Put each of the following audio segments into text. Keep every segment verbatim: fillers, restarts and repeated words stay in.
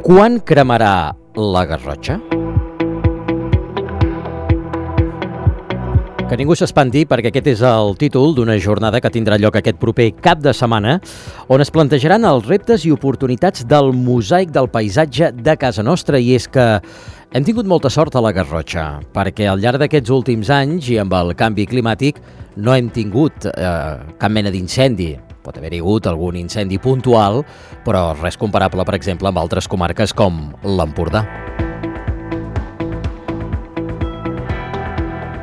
Quan cremarà la Garrotxa? Que ningú s'espanti, perquè aquest és el títol d'una jornada que tindrà lloc aquest proper cap de setmana, on es plantejaran els reptes i oportunitats del mosaic del paisatge de casa nostra. I és que hem tingut molta sort a la Garrotxa, perquè al llarg d'aquests últims anys i amb el canvi climàtic no hem tingut eh, cap mena d'incendi. Pot haver-hi hagut algun incendi puntual, però res comparable, per exemple, amb altres comarques com l'Empordà.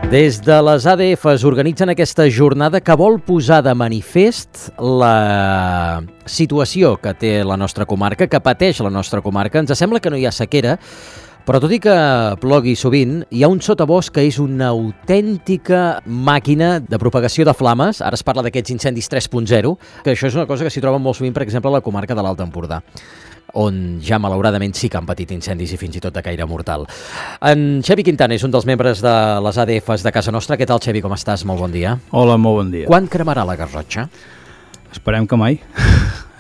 Des de les A D F organitzen aquesta jornada que vol posar de manifest la situació que té la nostra comarca, que pateix la nostra comarca. Ens sembla que no hi ha sequera, però tot i que plogui sovint, hi ha un sotabosc que és una autèntica màquina de propagació de flames. Ara es parla d'aquests incendis tres punt zero, que això és una cosa que s'hi troba molt sovint, per exemple, a la comarca de l'Alt Empordà, on ja malauradament sí que han patit incendis i fins i tot de caire mortal. En Xevi Quintana és un dels membres de les A D Fs de casa nostra. Què tal, Xevi, com estàs? Molt bon dia. Hola, molt bon dia. Quan cremarà la Garrotxa? Esperem que mai.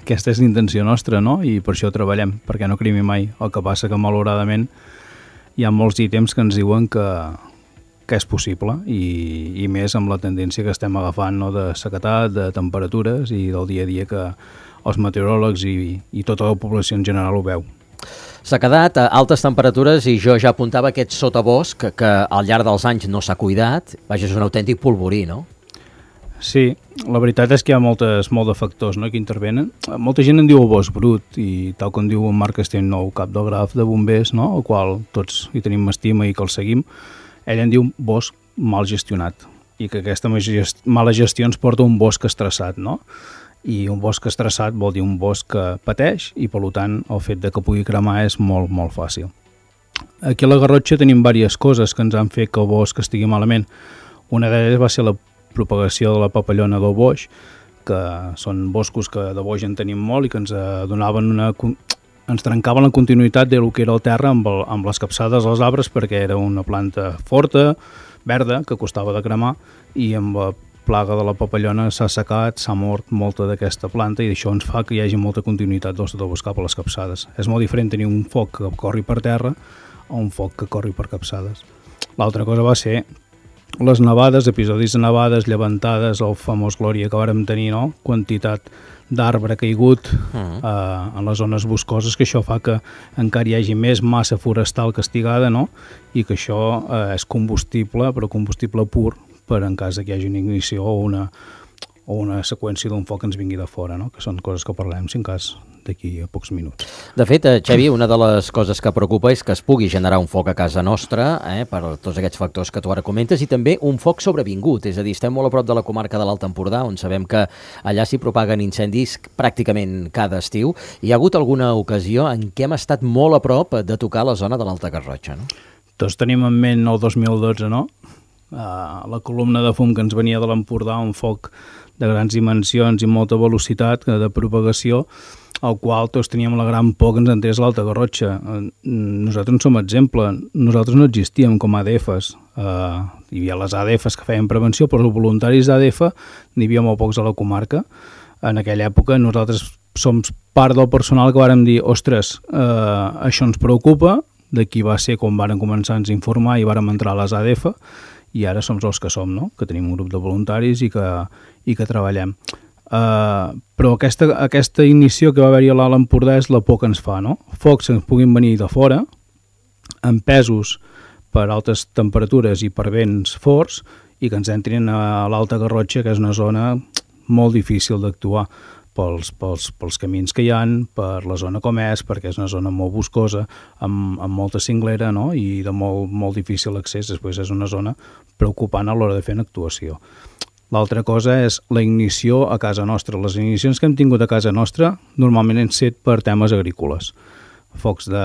Aquesta és l'intenció nostra, no? I per això treballem, perquè no cremi mai. El que passa que, malauradament, hi ha molts ítems que ens diuen que, que és possible, i, i més amb la tendència que estem agafant, no? De sequetat, de temperatures i del dia a dia que els meteoròlegs i, i tota la població en general ho veu. Sequedat, altes temperatures, i jo ja apuntava aquest sotabosc que, que al llarg dels anys no s'ha cuidat. Vaja, és un autèntic polvorí, no? Sí, la veritat és que hi ha moltes, molts de factors, no?, que intervenen. Molta gent en diu el bosc brut, i tal com diu en Marc Castellnou, cap del graf de bombers, no?, el qual tots hi tenim estima i que el seguim, ell en diu bosc mal gestionat, i que aquesta mala gestió ens porta a un bosc estressat, no? I un bosc estressat vol dir un bosc que pateix, i per tant el fet de que pugui cremar és molt, molt fàcil. Aquí a la Garrotxa tenim diverses coses que ens han fet que el bosc estigui malament. Una d'elles va ser la propagació de la papallona del boix, que són boscos que de boix en tenim molt i que ens donaven una, ens trencaven la continuïtat del que era el terra amb, el, amb les capçades dels arbres, perquè era una planta forta, verda, que costava de cremar, i amb la plaga de la papallona s'ha assecat, s'ha mort molta d'aquesta planta, i això ens fa que hi hagi molta continuïtat del sotabosc cap a les capçades. És molt diferent tenir un foc que corri per terra o un foc que corri per capçades. L'altra cosa va ser les nevades, episodis de nevades, llevantades, el famós Glòria que vàrem tenir, no? Quantitat d'arbre caigut uh-huh. eh, en les zones boscoses, que això fa que encara hi hagi més massa forestal castigada, no? I que això eh, és combustible, però combustible pur, per en cas que hi hagi una ignició o una, o una seqüència d'un foc que ens vingui de fora, no? Que són coses que parlem, si en cas, d'aquí a pocs minuts. De fet, Xevi, una de les coses que preocupa és que es pugui generar un foc a casa nostra, eh, per tots aquests factors que tu ara comentes, i també un foc sobrevingut, és a dir, estem molt a prop de la comarca de l'Alt Empordà, on sabem que allà s'hi propaguen incendis pràcticament cada estiu. Hi ha hagut alguna ocasió en què hem estat molt a prop de tocar la zona de l'Alta Garrotxa, no? Tots tenim en ment el dos mil dotze, no? Uh, la columna de fum que ens venia de l'Empordà, un foc de grans dimensions i molta velocitat de propagació, al qual tots teníem la gran por que ens entrés l'Alta Garrotxa. Nosaltres en som exemple. Nosaltres no existíem com a A D Fs. Uh, hi havia les A D Fs que feien prevenció, però els voluntaris d'A D F n'hi havia molt pocs a la comarca. En aquella època nosaltres som part del personal que vàrem dir, ostres, uh, això ens preocupa. D'aquí va ser quan vàrem començar a ens informar i vàrem entrar a les A D F, i ara som els que som, no? Que tenim un grup de voluntaris i que, i que treballem. Uh, però aquesta, aquesta ignició que va haver-hi a l'Alt Empordà és la por que ens fa, no? Focs que ens puguin venir de fora, empesos per altes temperatures i per vents forts, i que ens entrin a l'Alta Garrotxa, que és una zona molt difícil d'actuar pels, pels, pels camins que hi ha, per la zona com és, perquè és una zona molt boscosa, amb, amb molta cinglera, no? I de molt, molt difícil accés. Després és una zona preocupant a l'hora de fer una actuació. L'altra cosa és la ignició a casa nostra. Les ignicions que hem tingut a casa nostra normalment han set per temes agrícoles. Focs de,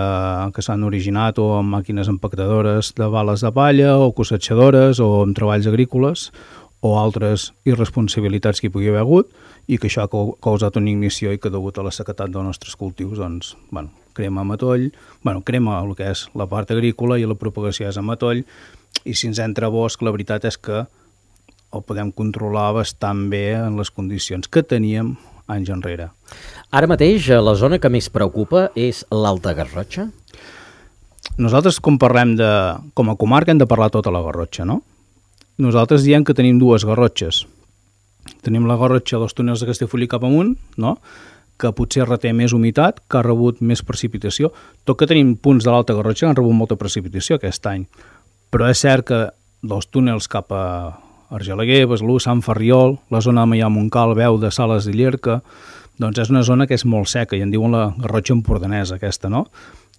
que s'han originat o amb màquines empactadores de bales de palla o cosetxadores o amb treballs agrícoles o altres irresponsabilitats que hi pugui haver hagut, i que això ha causat una ignició i que degut a la sequetat dels nostres cultius, doncs, bueno, crema a matoll, bueno, crema el que és la part agrícola i la propagació és a matoll, i si ens entra bosc, la veritat és que el podem controlar bastant bé en les condicions que teníem anys enrere. Ara mateix, la zona que més preocupa és l'Alta Garrotxa? Nosaltres, com parlem de, com a comarca, hem de parlar tota la Garrotxa, no? Nosaltres diem que tenim dues Garrotxes. Tenim la Garrotxa dels túnels de Castellfollit cap amunt, no?, que potser reté més humitat, que ha rebut més precipitació. Tot que tenim punts de l'Alta Garrotxa que han rebut molta precipitació aquest any. Però és cert que dels túnels cap a Argelaguer, Besalú, Sant Ferriol, la zona de Maià-Montcal, Beu de Sales i Llierca, doncs és una zona que és molt seca i en diuen la Garrotxa empordanesa aquesta, no?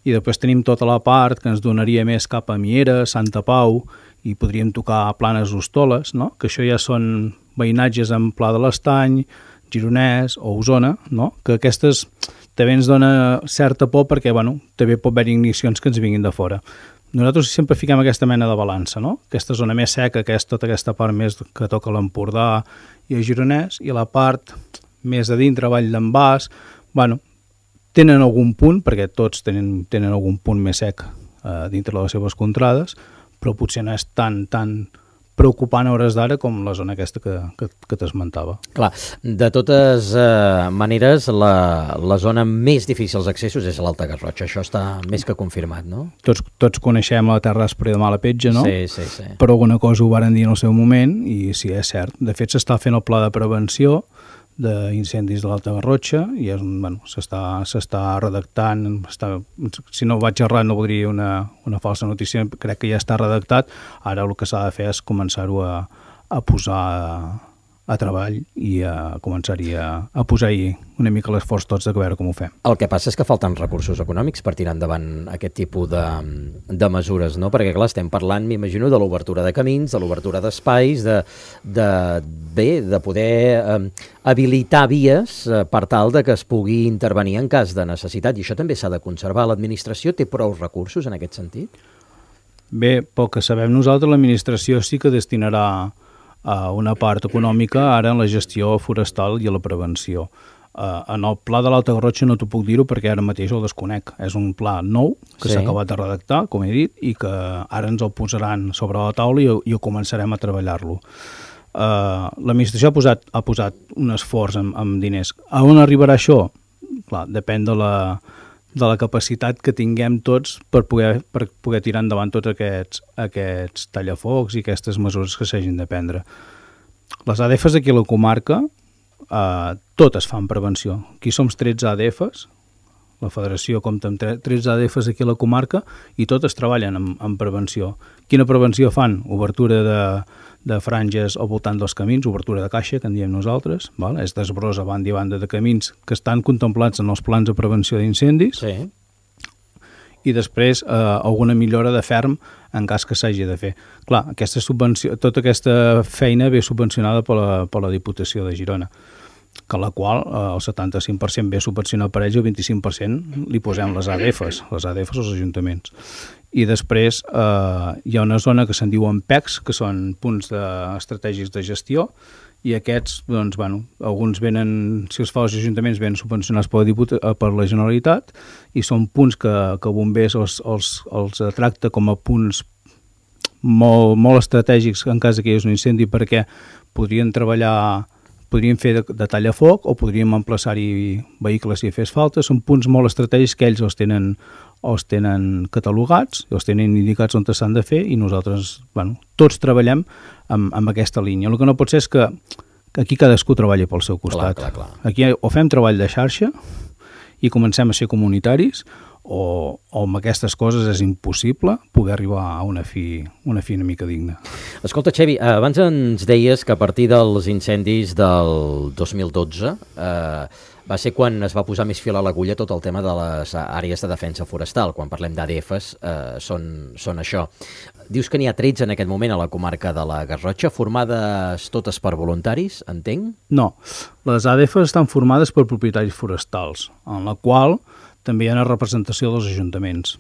I després tenim tota la part que ens donaria més cap a Mieres, Santa Pau, i podríem tocar Planes Hostoles, no? Que això ja són veïnatges en Pla de l'Estany, Gironès o Osona, no? Que aquestes també ens dona certa por perquè, bueno, també pot haver ignicions que ens vinguin de fora. Nosaltres sempre fiquem aquesta mena de balança, no? Aquesta zona més seca, que és tota aquesta part més que toca l'Empordà i el Gironès, i la part més a dintre, Vall d'en Bas, bueno, tenen algun punt, perquè tots tenen, tenen algun punt més sec eh, dintre de les seves contrades, però potser no és tan, tan preocupant a hores d'ara com la zona aquesta que, que, que t'esmentava. Clar, de totes eh, maneres, la, la zona més difícil d'accessos és l'Alta Garrotxa. Això està més que confirmat, no? Tots, tots coneixem la Terra Aspra de Mala Petja, no? Sí, sí, sí. Però alguna cosa ho varen dir en el seu moment i sí, és cert. De fet, s'està fent el pla de prevenció d'incendis de l'Alta Garrotxa i és, bueno, s'està s'està redactant, està, si no vaig errat no voldria una, una falsa notícia, crec que ja està redactat, ara el que s'ha de fer és començar-ho a, a posar a, a treball i a començar-hi a, a posar-hi una mica l'esforç tots de veure com ho fem. El que passa és que falten recursos econòmics per tirar endavant aquest tipus de, de mesures, no? Perquè, clar, estem parlant, m'imagino, de l'obertura de camins, de l'obertura d'espais, de, de, bé, de poder eh, habilitar vies eh, per tal de que es pugui intervenir en cas de necessitat, i això també s'ha de conservar. L'administració té prou recursos en aquest sentit? Bé, pel que sabem nosaltres, l'administració sí que destinarà a una part econòmica ara en la gestió forestal i a la prevenció. Uh, en el pla de l'Alta Garrotxa no t'ho puc dir-ho perquè ara mateix el desconec. És un pla nou que s'ha sí. acabat de redactar, com he dit, i que ara ens el posaran sobre la taula i, i començarem a treballar-lo. Uh, L'administració ha posat, ha posat un esforç amb, amb diners. A on arribarà això? Clar, depèn de la, de la capacitat que tinguem tots per poder, per poder tirar endavant tots aquests, aquests tallafocs i aquestes mesures que s'hagin de prendre. Les A D Fs aquí a la comarca, eh, totes fan prevenció. Aquí som tretze A D Fs, la federació compta amb tretze A D Fs aquí a la comarca i totes treballen en, en prevenció. Quina prevenció fan? Obertura de, de franges al voltant dels camins, obertura de caixa, que en diem nosaltres, val? És desbrós a banda i banda de camins que estan contemplats en els plans de prevenció d'incendis, sí. I després eh, alguna millora de ferm en cas que s'hagi de fer. Clar, aquesta subvenció, tota aquesta feina ve subvencionada per la, per la Diputació de Girona, que la qual eh, el setanta-cinc per cent ve subvencionat per ells i el vint-i-cinc per cent li posem les A D Fs, les A D Fs als ajuntaments. I després eh, hi ha una zona que se'n diuen P E Cs, que són punts de, estratègics de gestió, i aquests, doncs, bueno, alguns venen, si els fa els ajuntaments, venen subvencionats per la, Diputa, per la Generalitat, i són punts que, que bombers els, els, els tracta com a punts molt, molt estratègics en cas que hi hagués un incendi, perquè podrien treballar, podrien fer de, de tallafoc o podríem emplaçar-hi vehicles si fes falta. Són punts molt estratègics que ells els tenen, els tenen catalogats, els tenen indicats on s'han de fer i nosaltres, bueno, tots treballem amb, amb aquesta línia. El que no pot ser és que, que aquí cadascú treballi pel seu costat. Clar, clar, clar. Aquí o fem treball de xarxa i comencem a ser comunitaris o, o amb aquestes coses és impossible poder arribar a una fi una, fi una mica digna. Escolta, Xevi, abans ens deies que a partir dels incendis del dos mil dotze eh, va ser quan es va posar més fil a l'agulla tot el tema de les àrees de defensa forestal. Quan parlem d'A D Fs, eh, són, són això. Dius que n'hi ha tretze en aquest moment a la comarca de la Garrotxa, formades totes per voluntaris, entenc? No, les A D Fs estan formades per propietaris forestals, en la qual també hi ha una representació dels ajuntaments,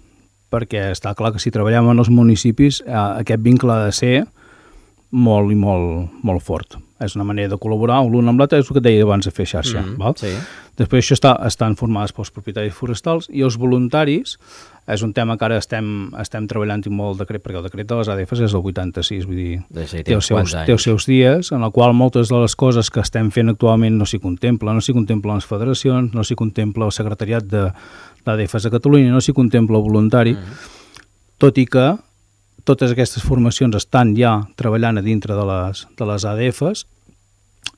perquè està clar que si treballem en els municipis eh, aquest vincle ha de ser molt i molt, molt fort. És una manera de col·laborar l'un amb l'altre, és el que et deia abans de fer xarxa. Mm, val? Sí. Després això està, estan formades pels propietaris forestals i els voluntaris és un tema que ara estem, estem treballant i molt el decret, perquè el decret de les A D Fs és el vuitanta-sis, vull dir, sí, té, els seus, té els seus dies, en el qual moltes de les coses que estem fent actualment no s'hi contempla, no s'hi contemplen les federacions, no s'hi contempla el secretariat de l'A D Fs a Catalunya, no s'hi contempla el voluntari, mm. tot i que totes aquestes formacions estan ja treballant a dintre de les, de les A D Fs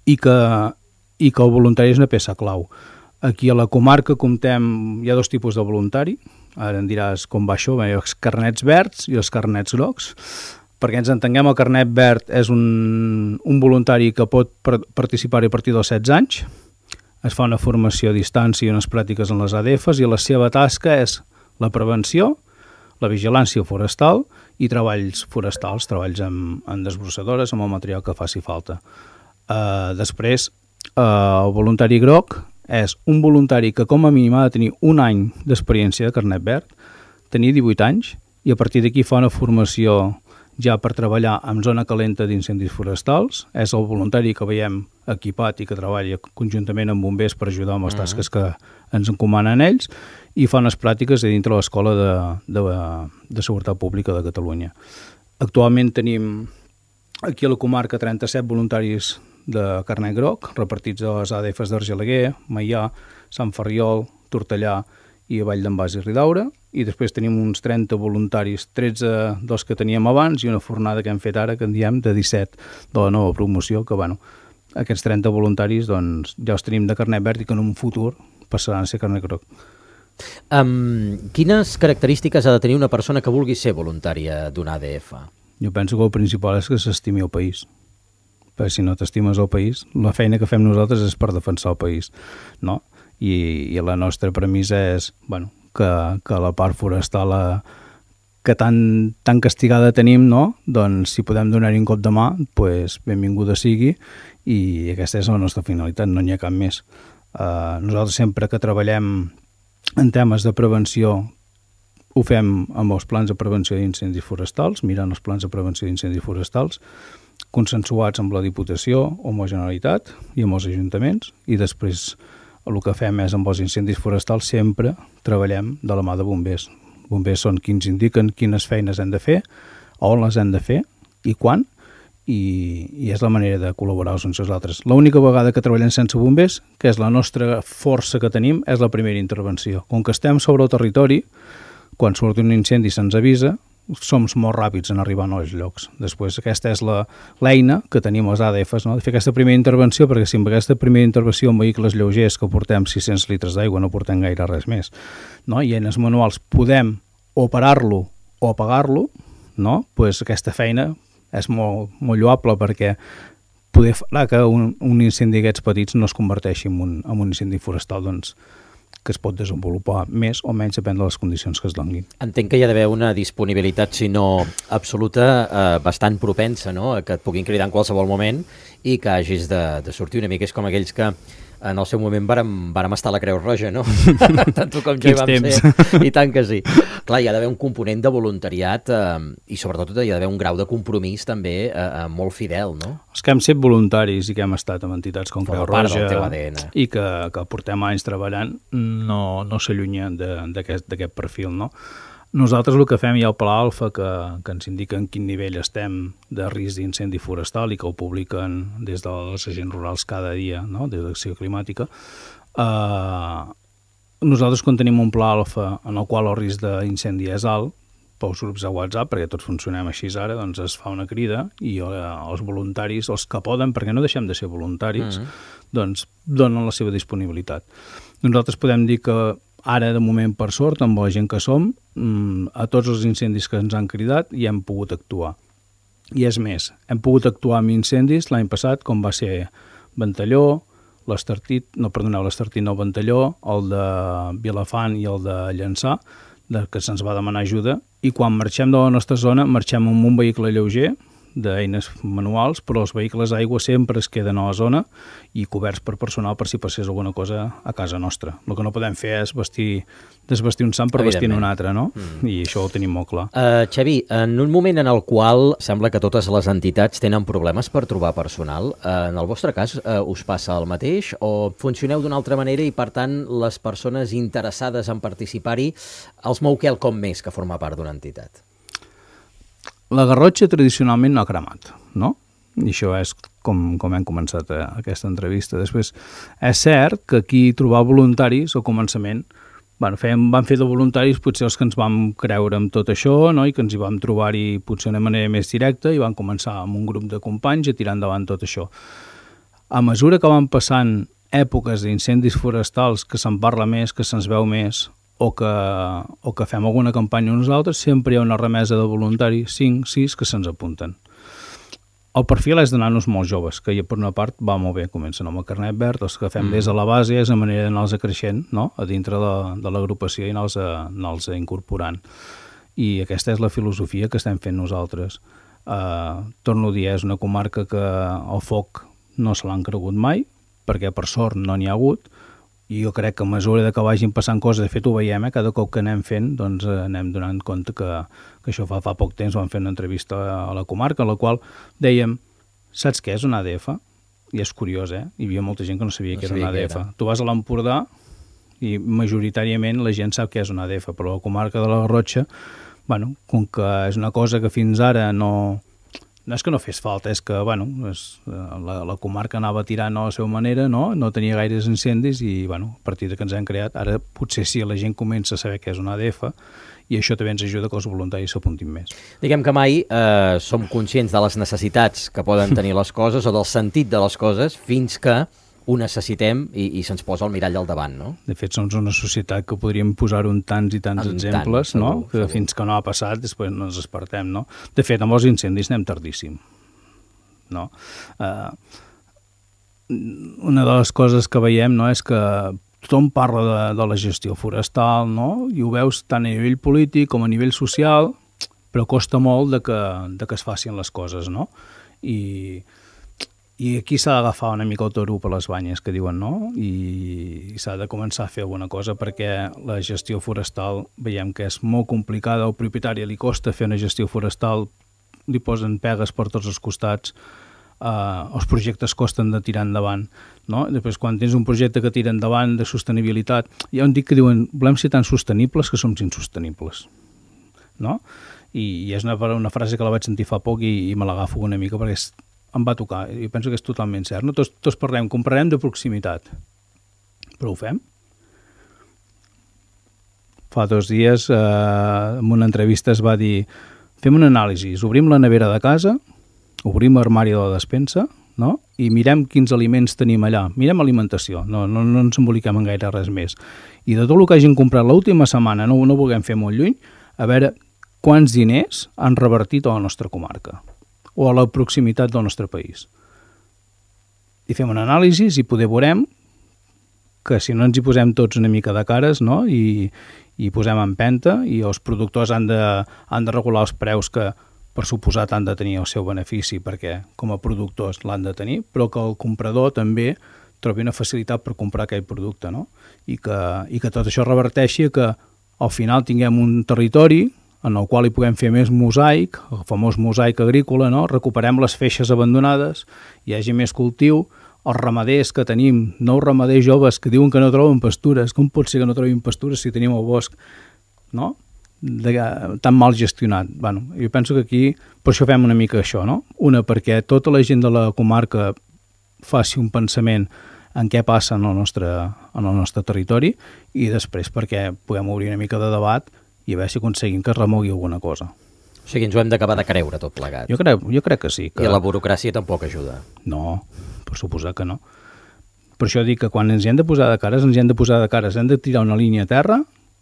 i que, i que el voluntari és una peça clau. Aquí a la comarca comptem, hi ha dos tipus de voluntari, ara em diràs com va això, hi ha els carnets verds i els carnets grocs. Perquè ens entenguem, el carnet verd és un, un voluntari que pot participar a partir dels setze anys, es fa una formació a distància i unes pràctiques en les A D Fs i la seva tasca és la prevenció, la vigilància forestal i treballs forestals, treballs amb, amb desbrossadores, amb el material que faci falta. Uh, després, uh, el voluntari groc és un voluntari que com a mínim ha de tenir un any d'experiència de carnet verd, tenir divuit anys, i a partir d'aquí fa una formació ja per treballar en zona calenta d'incendis forestals. És el voluntari que veiem equipat i que treballa conjuntament amb bombers per ajudar amb les tasques que ens encomanen ells, i fa unes pràctiques a dintre l'Escola de, de, de Seguretat Pública de Catalunya. Actualment tenim aquí a la comarca trenta-set voluntaris de carnet groc, repartits a les A D Fs d'Argelaguer, Maià, Sant Ferriol, Tortellà i a Vall d'en Bas i Ridaura, i després tenim uns trenta voluntaris, tretze dels que teníem abans i una fornada que hem fet ara, que en diem de disset de la nova promoció, que bueno, aquests trenta voluntaris doncs, ja els tenim de carnet verd i que en un futur passaran a ser carnet groc. Um, quines característiques ha de tenir una persona que vulgui ser voluntària d'una A D F? Jo penso que el principal és que s'estimi el país. Perquè si no t'estimes el país, la feina que fem nosaltres és per defensar el país, no? I, i la nostra premissa és, bueno, que, que la part forestal a, que tan, tan castigada tenim, no? Doncs si podem donar-hi un cop de mà, pues, benvinguda sigui, i aquesta és la nostra finalitat, no n'hi ha cap més. Uh, nosaltres sempre que treballem en temes de prevenció ho fem amb els plans de prevenció d'incendis forestals, mirant els plans de prevenció d'incendis forestals, consensuats amb la Diputació o amb la Generalitat i amb els ajuntaments, i després el que fem és amb els incendis forestals sempre treballem de la mà de bombers. Bombers són qui ens indiquen quines feines hem de fer, on les hem de fer i quan, i, i és la manera de col·laborar els uns i els altres. L'única vegada que treballem sense bombers, que és la nostra força que tenim, és la primera intervenció. Com que estem sobre el territori, quan surt un incendi se'ns avisa, som molt ràpids en arribar als llocs. Després aquesta és la, l'eina que tenim les A D Fs, no? De fer aquesta primera intervenció, perquè si amb aquesta primera intervenció amb vehicles lleugers que portem sis-cents litres d'aigua no portem gaire res més, no? I eines manuals podem o parar-lo o apagar-lo, no? Pues aquesta feina és molt, molt lloable, perquè poder fer que un, un incendi d'aquests petits no es converteixi en un, en un incendi forestal, doncs que es pot desenvolupar més o menys depèn de les condicions que es donin. Entenc que hi ha d'haver una disponibilitat, si no absoluta, eh, bastant propensa, no?, a que et puguin cridar en qualsevol moment i que hagis de, de sortir una mica. És com aquells que en el seu moment vàrem, vàrem estar a la Creu Roja, no? Tant tu com jo hi vam ser. I tant que sí. Clar, hi ha d'haver un component de voluntariat eh, i sobretot hi ha d'haver un grau de compromís també eh, eh, molt fidel, no? Els que hem set voluntaris i que hem estat amb entitats com Creu Roja i que, que portem anys treballant no, no s'allunyen d'aquest perfil, no? Nosaltres el que fem, hi ha el Pla Alfa que, que ens indica en quin nivell estem de risc d'incendi forestal i que ho publiquen des dels agents rurals cada dia, no?, des d'Acció Climàtica. Uh, nosaltres quan tenim un Pla Alfa en el qual el risc d'incendi és alt, pels grups de WhatsApp, perquè tots funcionem així ara, doncs es fa una crida i uh, els voluntaris, els que poden, perquè no deixem de ser voluntaris, mm-hmm. doncs donen la seva disponibilitat. Nosaltres podem dir que ara, de moment, per sort, amb la gent que som, a tots els incendis que ens han cridat hi hem pogut actuar. I és més, hem pogut actuar amb incendis l'any passat, com va ser Ventalló, l'Estartit, no, perdoneu, l'Estartit no, Ventalló, el de Vilafant i el de Llançà, de, que se'ns va demanar ajuda, i quan marxem de la nostra zona, marxem amb un vehicle lleuger d'eines manuals, però els vehicles d'aigua sempre es queden a la zona i coberts per personal per si passés alguna cosa a casa nostra. El que no podem fer és vestir, desvestir un sant per vestir un altre, no? Mm. I això ho tenim molt clar. Uh, Xavi, en un moment en el qual sembla que totes les entitats tenen problemes per trobar personal, uh, en el vostre cas uh, us passa el mateix o funcioneu d'una altra manera i, per tant, les persones interessades en participar-hi els mou quelcom més que formar part d'una entitat? La Garrotxa tradicionalment no ha cremat, no? I això és com, com hem començat a, aquesta entrevista. Després, és cert que aquí trobar voluntaris al començament, bueno, fèiem, vam fer de voluntaris potser els que ens vam creure amb tot això, no? I que ens hi vam trobar-hi potser d'una manera més directa i vam començar amb un grup de companys a tirar endavant tot això. A mesura que van passant èpoques d'incendis forestals que se'n parla més, que se'ns veu més, o que, o que fem alguna campanya nosaltres, sempre hi ha una remesa de voluntaris, cinc, sis, que se'ns apunten. El perfil és d'anar-nos molt joves, que ja per una part va molt bé, comencen amb el carnet verd, els que fem mm. des de la base és la manera d'anar-los creixent, no? A dintre de, de l'agrupació i anar-los anar incorporant. I aquesta és la filosofia que estem fent nosaltres. Uh, torno a dir, és una comarca que el foc no se l'han cregut mai, perquè per sort no n'hi ha hagut, i jo crec que a mesura que vagin passant coses, de fet ho veiem, eh? Cada cop que anem fent, doncs eh, anem donant compte que, que això fa, fa poc temps vam fer una entrevista a la comarca, en la qual dèiem, saps què és una A D F? I és curiós, eh? Hi havia molta gent que no sabia no què era una A D F. Era. Tu vas a l'Empordà i majoritàriament la gent sap què és una A D F, però la comarca de la Garrotxa, bueno, com que és una cosa que fins ara no... No és que no fes falta, és que bueno, és, la, la comarca anava tirant a la seva manera, no? No tenia gaires incendis i bueno, a partir de que ens hem creat, ara potser sí la gent comença a saber què és una A D F i això també ens ajuda que els voluntaris s'apuntin més. Diguem que mai eh, som conscients de les necessitats que poden tenir les coses o del sentit de les coses fins que ho necessitem i, i se'ns posa el mirall al davant, no? De fet, som una societat que podríem posar-ho en tants i tants en exemples, tant, no? Segur, que segur. Fins que no ha passat, després no ens despertem, no? De fet, amb els incendis anem tardíssim, no? Uh, una de les coses que veiem, no?, és que tothom parla de, de la gestió forestal, no? I ho veus tant a nivell polític com a nivell social, però costa molt de que, de que es facin les coses, no? I... I aquí s'ha d'agafar una mica el toro per les banyes, que diuen, no? I, i s'ha de començar a fer alguna cosa perquè la gestió forestal veiem que és molt complicada, al propietari li costa fer una gestió forestal, li posen pegues per tots els costats, uh, els projectes costen de tirar endavant, no? Després, quan tens un projecte que tira endavant de sostenibilitat, hi ha un dit que diuen, volem ser tan sostenibles que som insostenibles, no? I, i és una, una frase que la vaig sentir fa poc i, i me l'agafo una mica perquè és em va tocar, i penso que és totalment cert, no? Tots, tots parlem, comprarem de proximitat, però ho fem? Fa dos dies, eh, en una entrevista es va dir, fem una anàlisi, obrim la nevera de casa, obrim l'armari de la despensa, no? I mirem quins aliments tenim allà, mirem alimentació, no, no, no ens emboliquem en gaire res més. I de tot el que hagin comprat l'última setmana, no, no vulguem fer molt lluny, a veure quants diners han revertit a la nostra comarca o a la proximitat del nostre país. I fem una anàlisi i poder veurem que si no ens hi posem tots una mica de cares, no? I, i posem empenta i els productors han de, han de regular els preus que per suposat han de tenir el seu benefici perquè com a productors l'han de tenir, però que el comprador també trobi una facilitat per comprar aquell producte, no? I que, i que tot això reverteixi que al final tinguem un territori en el qual hi puguem fer més mosaic, el famós mosaic agrícola, no? Recuperem les feixes abandonades, hi hagi més cultiu, els ramaders que tenim, nous ramaders joves que diuen que no troben pastures, com pot ser que no trobin pastures si tenim el bosc, no? De, tan mal gestionat. Bueno, jo penso que aquí, per això fem una mica això, no? Una, perquè tota la gent de la comarca faci un pensament en què passa en el nostre, en el nostre territori i després perquè puguem obrir una mica de debat i a veure si aconseguim que es remogui alguna cosa. O sigui, ens ho hem d'acabar de creure tot plegat. Jo crec, jo crec que sí. Que... I la burocràcia tampoc ajuda. No, per suposar que no. Per això dic que quan ens hi hem de posar de cares, ens hi hem de posar de cares, hem de tirar una línia a terra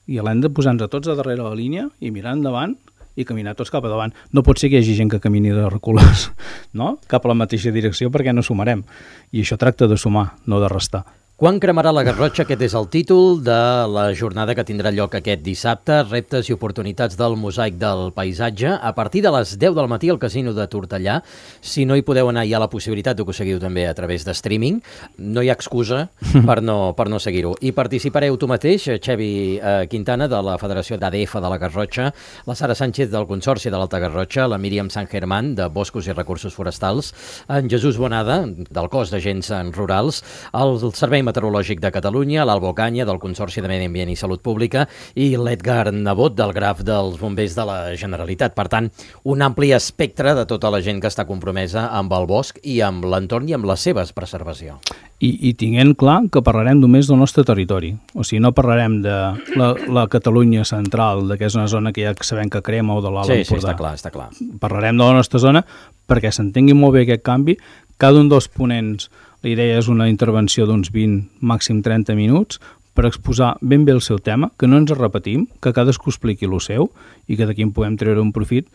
i l'hem de posar-nos tots a darrere la línia i mirar endavant i caminar tots cap a davant. No pot ser que hi hagi gent que camini de reculars, no? Cap a la mateixa direcció perquè no sumarem. I això tracta de sumar, no de restar. Quan cremarà la Garrotxa? Aquest és el títol de la jornada que tindrà lloc aquest dissabte. Reptes i oportunitats del mosaic del paisatge. A partir de les deu del matí al Casino de Tortellà. Si no hi podeu anar, hi ha la possibilitat que ho seguiu també a través de streaming. No hi ha excusa per no, per no seguir-ho. I participareu tu mateix, Xevi eh, Quintana, de la Federació d'A D F de la Garrotxa, la Sara Sánchez del Consorci de l'Alta Garrotxa, la Míriam San Germán de Boscos i Recursos Forestals, en Jesús Bonada del Cos d'Agents Rurals, el Servei Meteorològic de Catalunya, l'Albo Canya del Consorci de Medi Ambient i Salut Pública i l'Edgar Nebot del Graf dels Bombers de la Generalitat. Per tant, un ampli espectre de tota la gent que està compromesa amb el bosc i amb l'entorn i amb la seva preservació. I, i tinguent clar que parlarem només del nostre territori. O sigui, no parlarem de la, la Catalunya central, de que és una zona que ja sabem que crema, o de l'Alt Sí, Empordà. sí, està clar, està clar. Parlarem de la nostra zona perquè s'entengui molt bé aquest canvi. Cada un dels ponents, la idea és una intervenció d'uns vint, màxim trenta minuts, per exposar ben bé el seu tema, que no ens repetim, que cadascú expliqui el seu i que d'aquí en puguem treure un profit,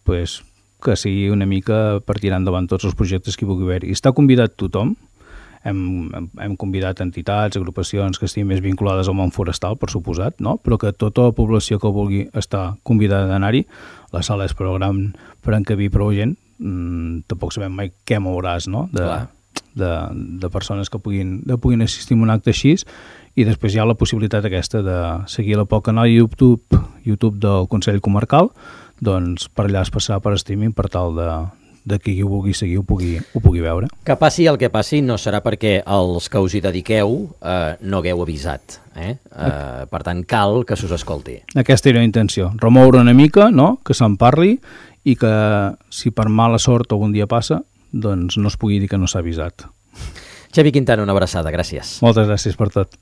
pues, que sigui una mica per tirar endavant tots els projectes que hi pugui haver. I està convidat tothom. Hem, hem convidat entitats, agrupacions que estiguin més vinculades al món forestal, per suposat, no? Però que tota la població que vulgui estar convidada d'anar-hi. La sala és prou gran per encabir prou gent. Mm, tampoc sabem mai què mouràs, no? De, de, de persones que puguin, de puguin assistir a un acte així, i després hi ha la possibilitat aquesta de seguir la pel canal YouTube, YouTube del Consell Comarcal, doncs per allà es passarà per streaming per tal de de qui ho vulgui seguir ho pugui, ho pugui veure. Que passi el que passi no serà perquè els que us hi dediqueu eh, no hagueu avisat. Eh? Eh, per tant, cal que s'us escolti. Aquesta era la intenció, remoure una mica, no? Que se'n parli i que si per mala sort algun dia passa, doncs no es pugui dir que no s'ha avisat. Xevi Quintana, una abraçada, gràcies. Moltes gràcies per tot.